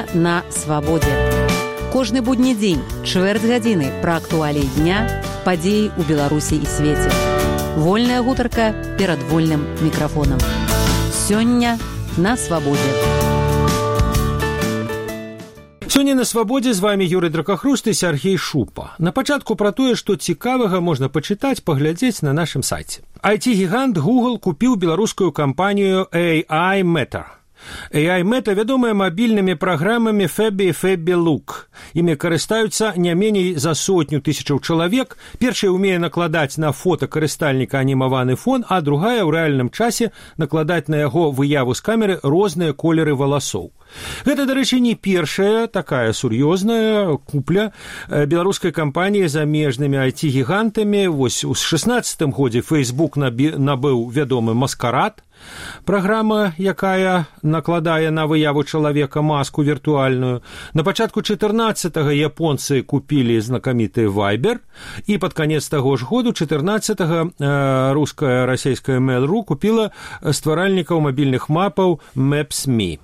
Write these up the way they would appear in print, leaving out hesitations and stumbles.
Сёння на свабодзе. Кожны будні дзень, чвэрць гадзіны пра актуаліі дня, падзеі ў Беларусі і свеце. Вольная гутарка перад вольным мікрафонам. Сёння на свабодзе. Сёння на свабодзе з вами Юрый Дракахруст і Сергей Шупа. На пачатку пра тое, што цікавага можна пачытаць, паглядзець на нашым сайце. IT-гігант Google купіў беларускую кампанію AI Meta. AI Meta вядомая мабільнымі праграмамі Fabby і Fabby Look. Імі карыстаюцца не меней за 100 000 чалавек. Першая ўмее накладаць на фота карыстальніка анімаваны фон, а другая ў рэальным часе накладаць на яго выяву з камеры розныя колеры валасоў. Гэта, дарэчы, не першая такая сур'ёзная купля беларускай кампаніі замежнымі IT-гігантамі. Вось у 16-м годзе Facebook набыў вядомы Маскарад, праграма, якая накладае на выяву чалавека маску віртуальную. На пачатку 14-го японцы купілі знакаміты Viber, і пад канец таго ж году, 14-го, руская расійская Mail.ru купіла стваральнікаў мабільных мапаў Maps.me.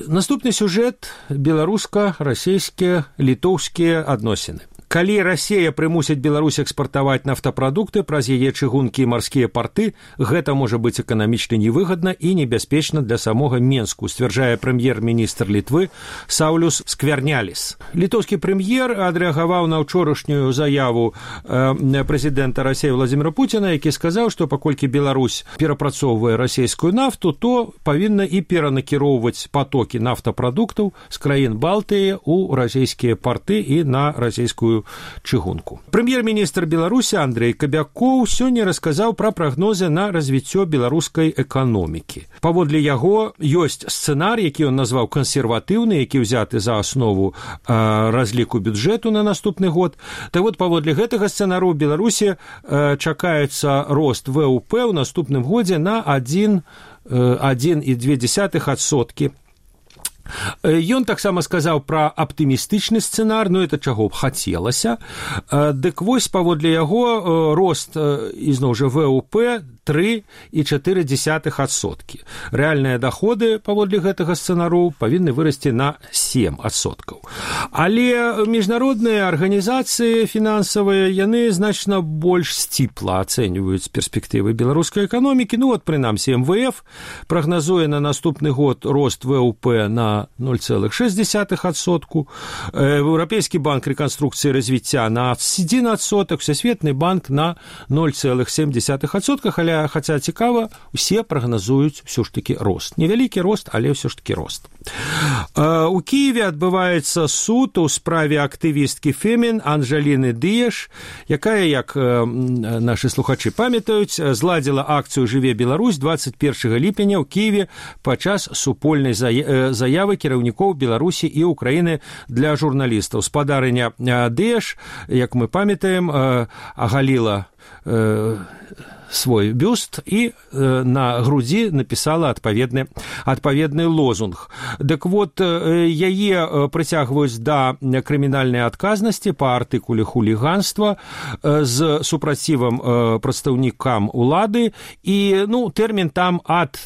Наступны сюжэт – беларуска-расійскія літоўскія адносіны. Калі Расія прымусіць Беларусь экспартаваць нафтапрадукты праз яе чыгункі і марскія парты, гэта можа быць эканамічна невыгадна і небяспечна для самога Менску, сцвярджае прэм'ер-міністр Літвы Саўлюс Скверняліс. Літоўскі прэм'ер адрэагаваў на ўчорашнюю заяву прэзідэнта Расіі Владзіміра Пуціна, які сказаў, што паколькі Беларусь перапрацоўвае расійскую нафту, то павінна і перанакіроўваць патокі нафтапрадуктаў з краін Балтыі ў расійскія парты і на расійскую чыгунку. Прэм'ер-міністр Беларусі Андрэй Кабякоў сёння расказаў пра прагнозы на развіццё беларускай эканомікі. Паводле яго ёсць сцэнар, які ён назваў кансерватыўны, які ўзяты за аснову разліку бюджэту на наступны год. Так вот, паводле гэтага сцэнару ў Беларусі чакаецца рост ВВП ў наступным годзе на 1,2%. Ён таксама сказаў пра аптымістычны сцэнар, ну это чаго б хацелася. Дык вось, паводле яго, рост, ізноў жа, ВВП 3,4%. Рэальныя даходы, паводле гэтага сцэнару, павінны вырасці на 7%. Але міжнародныя арганізацыі фінансавыя, яны значна больш сціпла ацэньваюць перспектывы беларускай эканомікі. Ну вот, прынамсі, МВФ прагназуе на наступны год рост ВВП на 0,6%, Еўрапейскі банк рэканструкцыі і развіцця на 1%, Всесветны банк на 0,7%, але, хаця цікава, усе прагназуюць ўсё ж такі рост. Невялікі рост, але ўсё ж такі рост. У Кіеве адбываецца суд у справе актывісткі Фемін Анжаліны Дыеш, якая, як нашы слухачы памятаюць, зладзіла акцыю «Жыве Беларусь» 21 ліпеня ў Кіеве падчас супольнай заявы кіраўнікоў Беларусі і Украіны для журналістаў. Спадарыня Дыеш, як мы памятаем, агаліла свой бюст і на грудзі напісала адпаведны лозунг. Дык вот, яе прыцягваюць да крымінальнай адказнасці па артыкуле хуліганства з супрацівам прадстаўнікам улады, і, ну, тэрмін там ад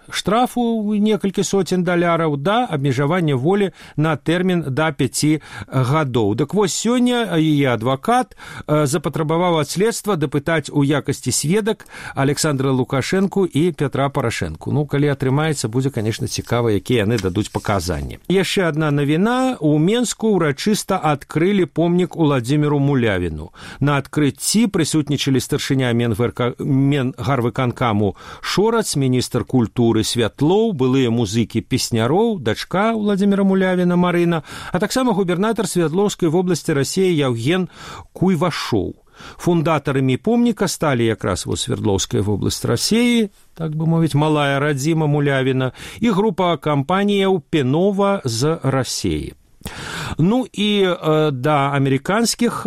штрафу некалькі сотен $, да абмежавання волі на тэрмін да 5 гадоў. Дык вось, сёння яе адвакат запатрабаваў ад следства дапытаць у якасці сведак Александра Лукашэнку і Пятра Парашэнку. Ну, калі атрымаецца, будзе, конечно, цікава, якія яны дадуць паказанні. Яшчэ адна навіна. У Менску ўрачыста адкрылі помнік Уладзіміру Мулявіну. На адкрыцці прысутнічалі старшыня Менгарвыканкаму Шорац, міністр культуры Святлоў, былыя музыкі песняроў, дачка Уладзіміра Мулявіна Марына, а таксама губернатар Святлоўскай вобласці Расіі Яўген Куйвашоў. Фундатарамі помніка сталі якраз Свердловская вобласць Расіі, так бы мовіць, малая радзіма Мулявіна, і група кампаніяў Пенова з Расіі. Ну і да амерыканскіх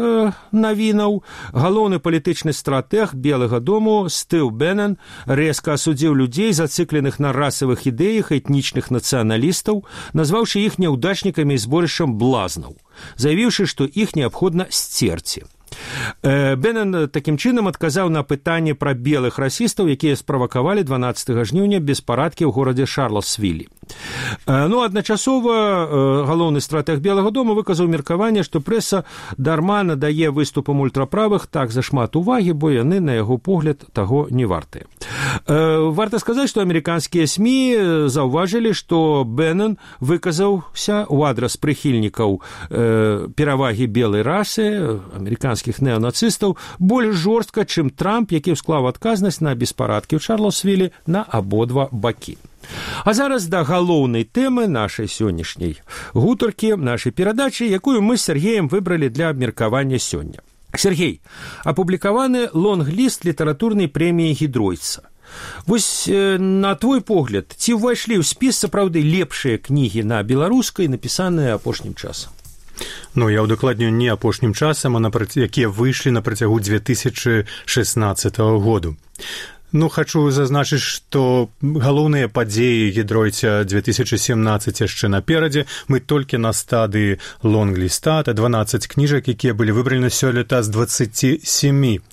навінаў. Галоўны палітычны стратэг Белага дому Стыў Беннен рэзка асудзіў людзей, зацыкленых на расавых ідэях этнічных нацыяналістаў, назваўшы іх няўдачнікамі і зборышчам блазнаў, заявіўшы, што іх неабходна сцерці. Беннен такім чынам адказаў на пытанне пра белых расістаў, якія справакавалі 12 жніўня беспарадкі ў горадзе Шарласвілі. Ну, адначасова галоўны стратэг Белага дома выказаў меркаванне, што прэса дарма надае выступам ультраправых так зашмат увагі, бо яны, на яго погляд, таго не вартыя. Варта сказаць, што амерыканскія СМІ заўважылі, што Беннон выказаўся ў адрас прыхільнікаў перавагі белай расы, амерыканскіх неонацыстаў, больш жорстка, чым Трамп, які ўсклаў адказнасць на беспарадкі ў Чарлаўсвілі на абодва бакі. А зараз да галоўнай тэмы нашай сённяшняй гутаркі, нашай перадачы, якую мы з Сергеем выбралі для абмеркавання сёння. Сергей, апублікаваны лонг-ліст літаратурнай прэміі Гідройца. Вось, на твой погляд, ці ўвайшлі ў спіс сапраўды лепшыя кнігі на беларускай, напісаныя апошнім часам? Ну, я ўдакладню не апошнім часам, а якія выйшлі на працягу 2016 году. Ну, хочу зазначыць, што галоўныя падзеі Гідройца 2017 яшчэ наперадзе. Мы толькі на стадыі лонг-ліста, 12 кніжак, якія былі выбраны сёлета з 27.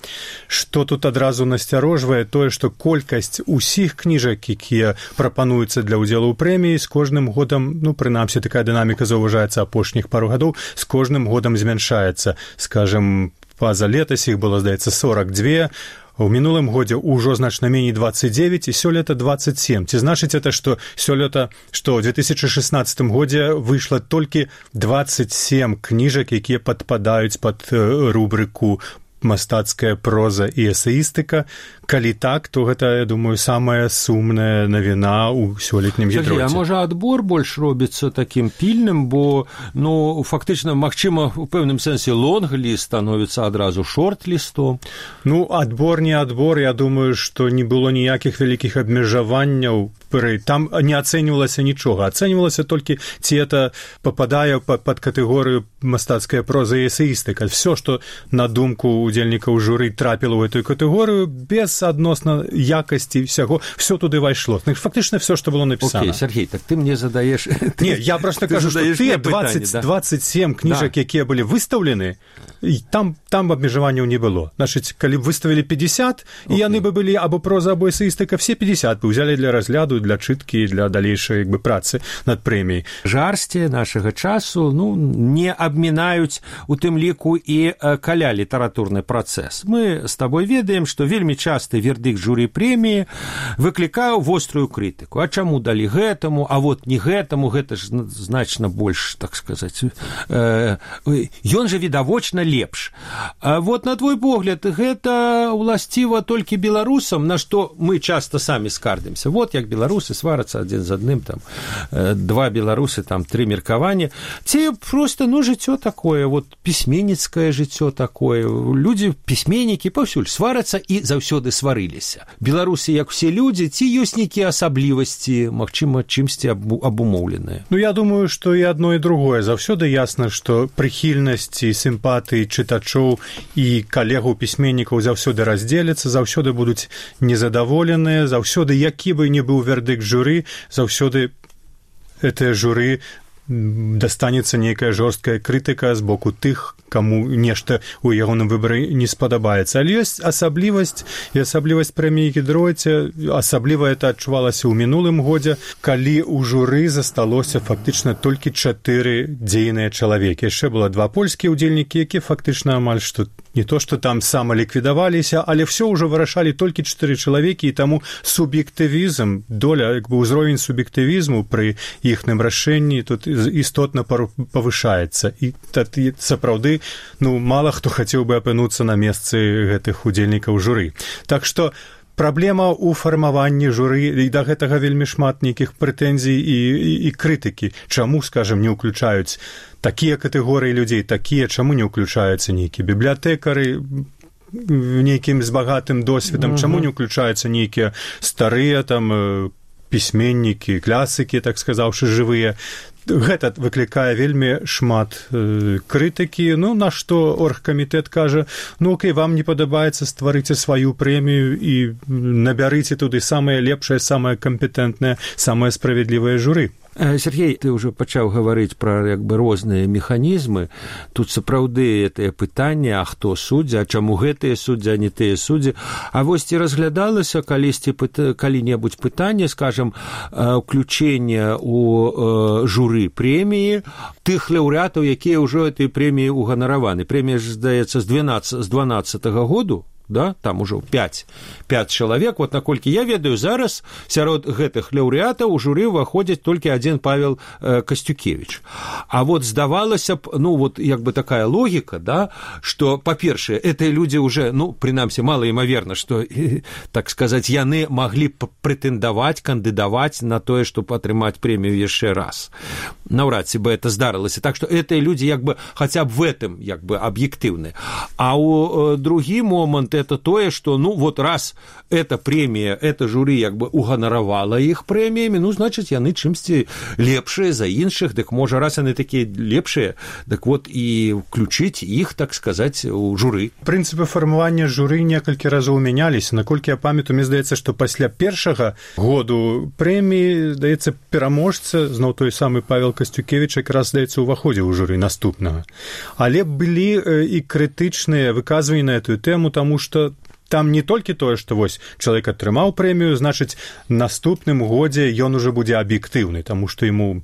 Што тут адразу насцярожвае тое, што колькасць усіх кніжак, якія прапануюцца для ўдзелу ў прэміі, з кожным годам, ну, прынамсі, такая дынаміка заўважаецца апошніх пару гадоў, з кожным годам змяншаецца. Скажем, паза летась іх было, здаецца, 42, у мінулым годзе ўжо значна меней 29, і сёлета 27. Ці значыць это, што сёлета, што ў 2016 годзе выйшла толькі 27 кніжак, якія падпадаюць пад рубрыку мастацкая проза і эсеістыка. Калі так, то гэта, я думаю, самая сумная навіна ў сёлетнім Гідройце. А можа, адбор больш робіцца такім пільным, бо, ну, фактычна, магчыма, у пэўным сэнсе лонг-ліст становіцца адразу шорт-лістом? Ну, адбор не адбор, я думаю, што не было ніякіх вялікіх абмежаванняў. Там не ацэньвалася нічога. Ацэньвалася толькі, ці это пападае пад катэгорыю мастацкая проза і эсеістыка. Всё, што на думку удзельнікаў журы трапіла ў эту катэгорыю, без адносна якасці всяго, все туды вайшло. Фактычна все, што было напісана. Окей, Сергей, так ты мне задаеш... Не, я просто кажу, што тыя 27 кніжак, якія былі выстаўлены, там абмежаванняў не было. Значыць, калі б выставілі 50, і яны бы былі або проза, або эсеістыка, все 50 бы ўзялі для разгляду, для чыткі, для далейшай працы над прэміяй. Жарсці нашага часу, ну, не абмінаюць у тым ліку і каля літаратурны працэс. Мы з табой ведаем, што вельмі часты вердыкт журы прэміі выклікаў вострую крытыку. А чаму далі гэтаму, а вот не гэтаму, гэта ж значна больш, так сказаць, ён жа відавочна лепш. А вот на твой погляд, гэта уласціва толькі беларусам, на што мы часта самі скардзімся. Вот як беларусы сварацца адзін з адным, там, два беларусы, там, тры меркаванні. Ці просто, ну, жыццё такое, вот, пісьменніцкае жыццё такое. Людзі, пісьменнікі паўсюль сварацца і заўсёды сварыліся. Беларусы, як усе людзі, ці ёсць нейкія асаблівасці, магчыма, чымсьці абумоўленыя? Ну, я думаю, што і адно, і другое. Заўсёды ясна, што прыхільнасць і сімпатыі чытачоў і калегаў пісьменнікаў заўсёды раздзеляцца, заўсёды будуць незадаволеныя, заўсёды, які бы не быў вердыкт журы, заўсёды гэтае журы дастанецца нейкая жорсткая крытыка з боку тых, каму нешта ў ягоным выбары не спадабаецца. Але ёсць асаблівасць, і асаблівасць прэміі Гідройца, асабліва это адчувалася ў мінулым годзе, калі ў журы засталося фактычна толькі 4 дзейныя чалавекі. Яшчэ было 2 польскія ўдзельнікі, якія фактычна амаль што не то, што там самаліквідаваліся, але ўсё ўжо вырашалі толькі 4 чалавекі, і таму суб'ектывізм, доля, як бы ўзровень суб'ектывізму пры іхным рашэнні тут істотна павышаецца. І тады сапраўды, ну, мала хто хацеў бы апынуцца на месцы гэтых удзельнікаў журы. Так што праблема ў фармаванні журы, і да гэтага вельмі шмат нейкіх прэтэнзій і крытыкі. Чаму, скажем, не ўключаюць такія катэгорыі людзей, такія, чаму не ўключаюцца нейкія бібліятэкары, нейкім з багатым досведам, чаму не ўключаюцца нейкія старыя там пісьменнікі, клясыкі, так сказаўшы, жывыя. Гэта выклікае вельмі шмат крытыкі. Ну, на што оргкамітэт кажа, ну, окей, вам не падабаецца, стварыце сваю прэмію і набярыце туды самае лепшае, самае кампетэнтнае, самае справядлівае журы. Сергей, ты ўжо пачаў гаварыць пра як бы розныя механізмы. Тут сапраўды гэтае пытанне, а хто суддзя, а чаму гэтыя суддзі, а не тыя суддзі. А вось ці разглядалася калісьці калі-небудзь пытанне, скажам, уключэнне у журы прэміі тых лаўрэатаў, якія ўжо этой прэміі уганараваны. Прэмія ж, здаецца, з 12-го году. Да? Там ужо 5 чалавек. Вот наколькі я ведаю, зараз сярод гэтых лаўрэатаў у журы ўваходзіць толькі адзін Павел Касцюкевіч. А вот здавалася б, ну вот як бы такая логіка, да, што, па-першае, гэтыя людзі уже, ну, прынамсі, малаімаверна, што, так сказаць, яны маглі прэтэндаваць, кандыдаваць на тое, чтобы атрымаць прэмію яшчэ раз. Наўрад ці бы это здарылася. Так што гэтыя людзі як бы хаця б в этом як бы аб'ектыўны. А ў другі момант это тое, что, ну, вот раз эта премия, это журы як бы уганаравала іх прэміямі, ну, значыць, яны чымсьці лепшыя за іншых, дык можа, раз яны такія лепшыя, дык вот і включыць іх, так сказаць, у журы. Прынцыпы фармавання журы некалькі разоў мяняліся. Наколькі я памятаю, мне здаецца, што пасля першага году прэміі, здаецца, пераможца, зноў той самы Павел Касцюкевіч, якраз, здаецца, уваходзіў у журы наступнага. Але былі і крытычныя выказванні на эту тэму, таму што там не толькі тое, што вось чалавек атрымаў прэмію, значыць, наступным годзе ён ужо будзе аб'ектыўны, таму што яму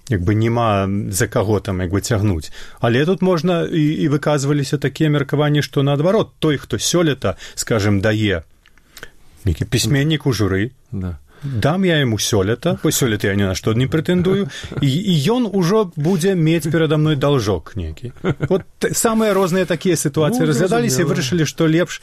як бы няма за каго там як бы цягнуць. Але тут можна і выказваліся такія меркаванні, што наадварот, той, хто сёлета, скажем, дае нейкі пісьменнік у журы, да. Дам я яму сёлета, бо сёлета я ні на што не прэтэндую, і ён ужо будзе мець перада мной должок нейкі. Вот самыя розныя такія сітуацыі разглядаліся і вырашылі, што лепш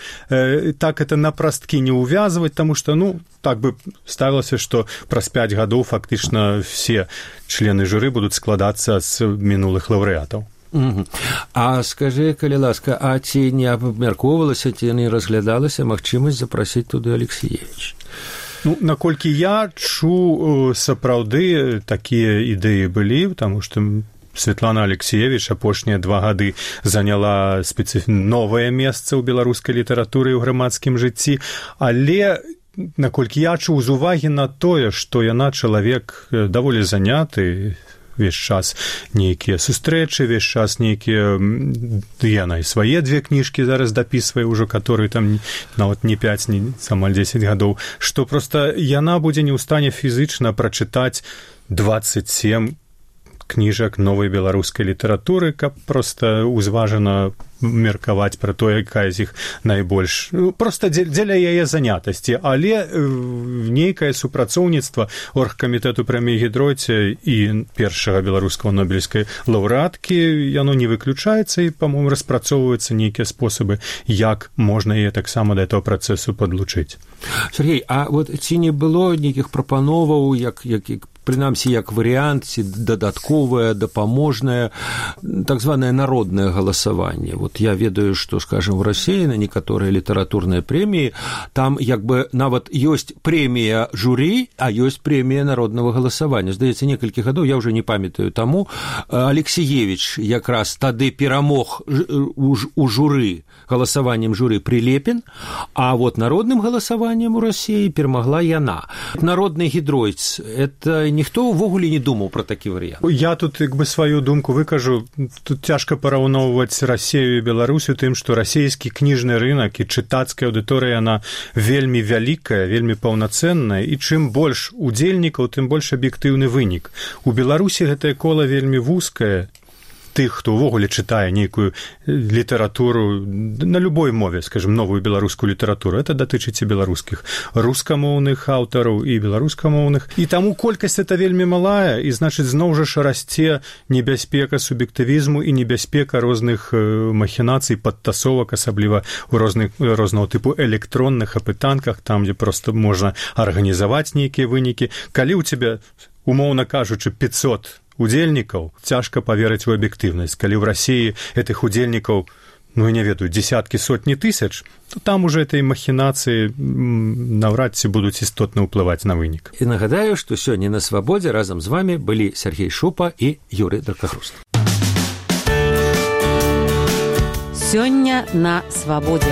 так это на прасткі не ўвязваць, таму што, ну, так бы ставілася, што праз 5 гадоў фактычна все члены журы будуць складацца з мінулых лаўрэатаў. А скажы, калі ласка, а ці не абмяркоўвалася, ці не разглядалася магчымасць запрасіць туды Алексіевіч? Ну, наколькі я чу, сапраўды такія ідэі былі, таму што Светлана Алексіевіч апошнія 2 гады заняла новае месца ў беларускай літаратуры і ў грамадскім жыцці, але наколькі я чуў з увагі на тое, што яна чалавек даволі заняты, весь час нейкія сустрэчы, весь час нейкія, яна і свае 2 кніжкі зараз дапісвае ўжо, которые там нават не 5, не амаль 10 гадоў, што проста яна будзе не ў стане фізычна прачытаць 27 кніжак новай беларускай літаратуры, каб проста узважана меркаваць пра тое, якая з іх найбольш. Проста дзеля яе занятасці, але нейкае супрацоўніцтва оргкамітэту прэміі Гідройце і першага беларускага нобелевскай лаўрэаткі, яно не выключаецца і, па-моему, распрацоўваюцца нейкія спосабы, як можна яе таксама да этого працэсу падлучыць. Сергей, а вот ці не было нейкіх прапановаў, як прынамсі, як варыянт, ці дадатковае, дапаможнае, так званае народнае галасаванне. Вот я ведаю, што, скажем, в России на некаторыя літаратурныя прэміі, там як бы нават ёсць прэмія журы, а ёсць прэмія народнага галасавання. Здаецца, некалькі гадоў, я ўжо не памятаю таму, Алексіевіч якраз тады перамог у журы, галасаваннем журы Прилепін, а вот народным галасаваннем у России перамагла яна. Народны Гідройц, это ніхто ўвогуле не думаў пра такі варыянт. Я тут як бы сваю думку выкажу. Тут цяжка параўноўваць Расію і Беларусю тым, што расійскі кніжны рынак і чытацкая аўдыторыя, яна вельмі вялікая, вельмі паўнацэнная, і чым больш удзельнікаў, тым больш аб'ектыўны вынік. У Беларусі гэтае кола вельмі вузкае, тых, хто ўвогуле чытае нейкую літаратуру на любой мове, скажем, новую беларускую літаратуру. Это датычыць і беларускіх рускамоўных аўтараў і беларускамоўных. І таму колькасць это вельмі малая, і, значыць, зноў жа расце небяспека суб'ектывізму і небяспека розных махінацый, падтасовак, асабліва ў рознага тыпу электронных апытанках, там, дзе проста можна арганізаваць нейкія вынікі. Калі ў цябе, умоўна кажучы, 500 удзельнікаў, цяжка паверыць у аб'ектыўнасць. Калі ў Расіі гэтых удзельнікаў, ну, я не ведаю, дзесяткі, сотні тысяч, то там уже этой махінацыі наўрад ці будуць істотна ўплываць на вынік. І нагадаю, што сёння на Свабодзе разам з вамі былі Сергей Шупа і Юрый Дракахруст. Сёння на Свабодзе.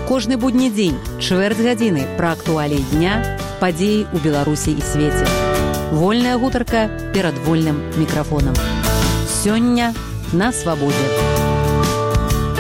Кожны будні дзень, чвэрць гадзіны пра актуаліі дня, падзеі ў Беларусі і свеце. Вольная гутарка перад вольным мікрафонам. Сёння на свабодзе.